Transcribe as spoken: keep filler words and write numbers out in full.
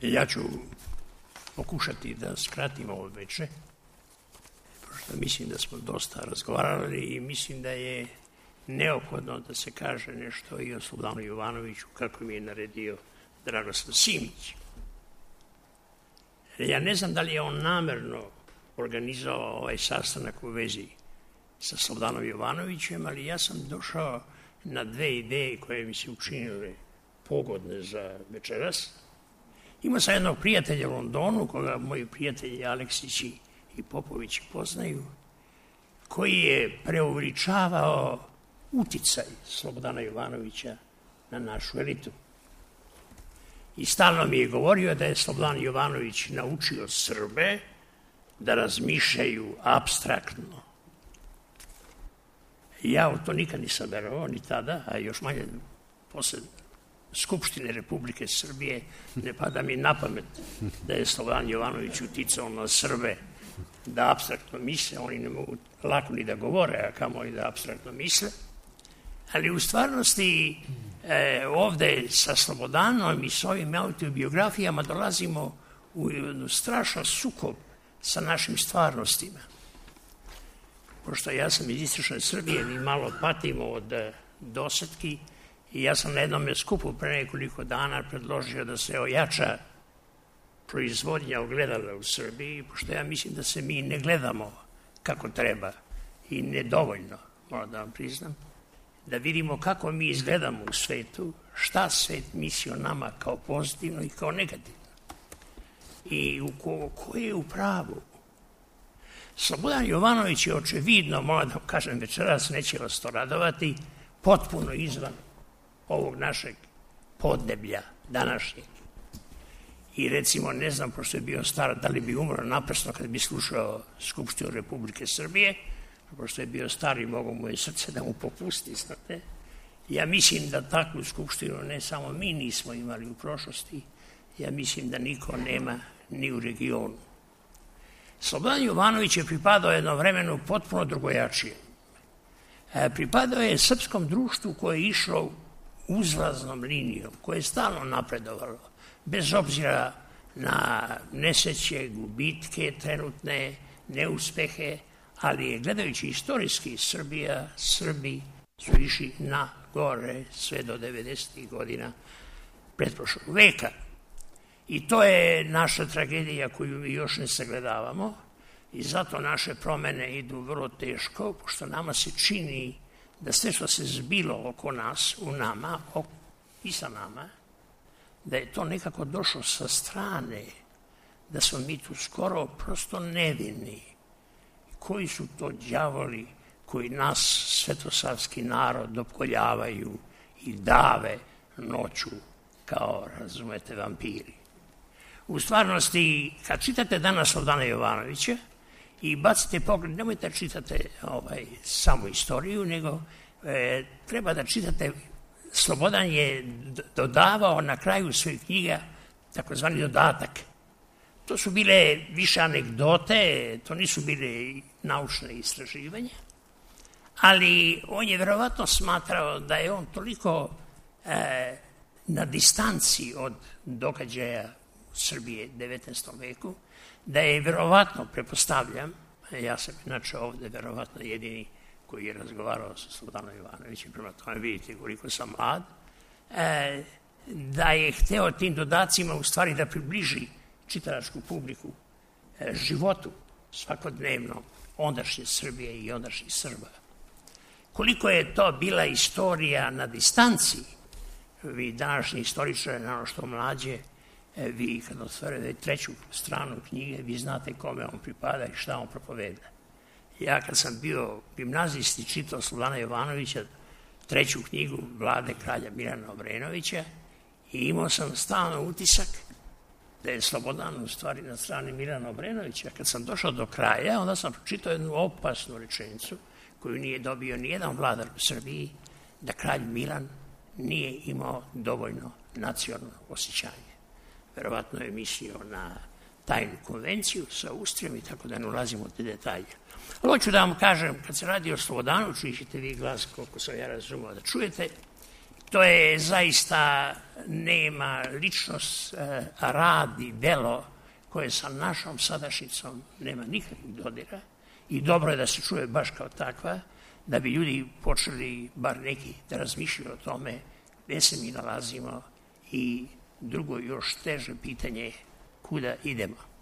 Ja ću pokušati da skratim ovo veče, pošto mislim da smo dosta razgovarali i mislim da je neophodno da se kaže nešto i o Slobodanu Jovanoviću, kako mi je naredio Dragoslav Simić. Ja ne znam da li je on namerno organizovao ovaj sastanak u vezi sa Slobodanom Jovanovićem, ali ja sam došao na dve ideje koje mi se učinile pogodne za večeras. Imao sam jednog prijatelja u Londonu, koga moji prijatelji Aleksići i Popovići poznaju, koji je preuveličavao uticaj Slobodana Jovanovića na našu elitu. I stalno mi je govorio da je Slobodan Jovanović naučio Srbe da razmišljaju apstraktno. Ja u to nikad nisam verovao, ni tada, a još manje posle Skupštine Republike Srbije ne pada mi na pamet da je Slobodan Jovanović uticao na Srbe da apstraktno misle. Oni ne mogu lako ni da govore, a kamoli da apstraktno misle. Ali u stvarnosti e, ovde sa Slobodanom i s ovim autobiografijama dolazimo u jednu strašan sukob sa našim stvarnostima. Pošto ja sam iz istočne Srbije, mi malo patimo od dosetki i ja sam na jednom skupu pre nekoliko dana predložio da se ojača proizvodnja ogledala u Srbiji, pošto ja mislim da se mi ne gledamo kako treba i nedovoljno, moram da vam priznam, da vidimo kako mi izgledamo u svetu, šta svet misli o nama kao pozitivno i kao negativno. I u ko, ko je u pravu? Slobodan Jovanović je očevidno, moram da kažem večeras, neće vas to radovati, potpuno izvan ovog našeg podneblja današnjeg. I recimo, ne znam, pošto je bio star, da li bi umro naprasno kad bi slušao Skupštinu Republike Srbije, pošto je bio star i mogo mu je srce da mu popusti, znate. Ja mislim da takvu skupštinu ne samo mi nismo imali u prošlosti, ja mislim da niko nema ni u regionu. Slobodan Jovanović je pripadao jednom vremenu potpuno drugojačije. Pripadao je srpskom društvu koje je išlo uzlaznom linijom, koje je stalno napredovalo, bez obzira na nesreće, gubitke, trenutne neuspehe, ali je, gledajući istorijski, Srbija, Srbi su išli na gore sve do devedesetih godina pretprošlog veka. I to je naša tragedija koju mi još ne sagledavamo i zato naše promene idu vrlo teško, pošto nama se čini da sve što se zbilo oko nas, u nama i sa nama, da je to nekako došlo sa strane, da smo mi tu skoro prosto nevini. Koji su to đavoli koji nas, svetosavski narod, opkoljavaju i dave noću kao, razumete, vampiri. U stvarnosti, kad čitate danas Slobodana Jovanovića i bacite pogled, nemojte čitate ovaj, samo istoriju, nego e, treba da čitate. Slobodan je dodavao na kraju svojih knjiga takozvani dodatak. To su bile više anegdote, to nisu bile naučne istraživanja, ali on je verovatno smatrao da je on toliko e, na distanci od događaja Srbije u devetnaestom veku, da je verovatno, prepostavljam, ja sam inače ovde verovatno jedini koji je razgovarao sa Slobodanom Jovanovićem, prema tome vidite koliko sam mlad, e, da je hteo tim dodacima u stvari da približi čitalačku publiku e, životu svakodnevno ondašnje Srbije i ondašnjih Srba. Koliko je to bila istorija na distanci, vi današnji istoričari, na ono što mlađe, e, vi kad otvorite treću stranu knjige, vi znate kome on pripada i šta on propoveda. Ja kad sam bio gimnazijski čitao Slobodana Jovanovića, treću knjigu Vlade kralja Milana Obrenovića, i imao sam stalno utisak da je Slobodan u stvari na strani Milana Obrenovića. Kad sam došao do kraja, onda sam pročitao jednu opasnu rečenicu koju nije dobio nijedan vladar u Srbiji, da kralj Milan nije imao dovoljno nacionalno osjećanje. Verovatno je mislio na tajnu konvenciju sa Austrijom i tako da ne ulazimo u te detalje. Ali hoću da vam kažem, kad se radi o Slobodanu, čućete vi glas koliko sam ja razumio da čujete, to je zaista nema ličnost, rad i delo koje sa našom sadašnjicom nema nikakvih dodira i dobro je da se čuje baš kao takva, da bi ljudi počeli, bar neki, da razmišljaju o tome gde se mi nalazimo i drugo još teže pitanje kuda idemo.